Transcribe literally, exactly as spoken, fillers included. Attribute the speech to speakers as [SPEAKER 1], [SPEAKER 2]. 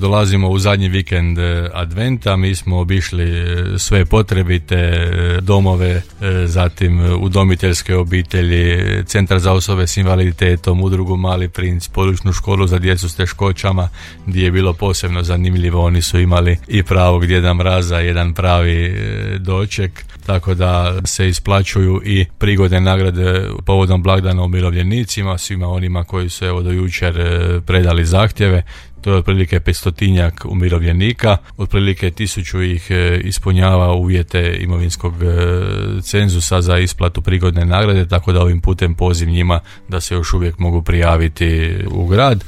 [SPEAKER 1] Dolazimo u zadnji vikend adventa, mi smo obišli sve potrebite domove, zatim udomiteljske obitelji, centar za osobe s invaliditetom, udrugu Mali princ, područnu školu za djecu s teškoćama, gdje je bilo posebno zanimljivo. Oni su imali i pravog Djeda Mraza, jedan pravi doček, tako da se isplaćuju i prigodne nagrade povodom blagdana umirovljenicima, svima onima koji su evo do jučer predali zahtjeve. To je otprilike petstotinjak umirovljenika, otprilike tisuću ih ispunjava uvjete imovinskog cenzusa za isplatu prigodne nagrade, tako da ovim putem poziv njima da se još uvijek mogu prijaviti u grad.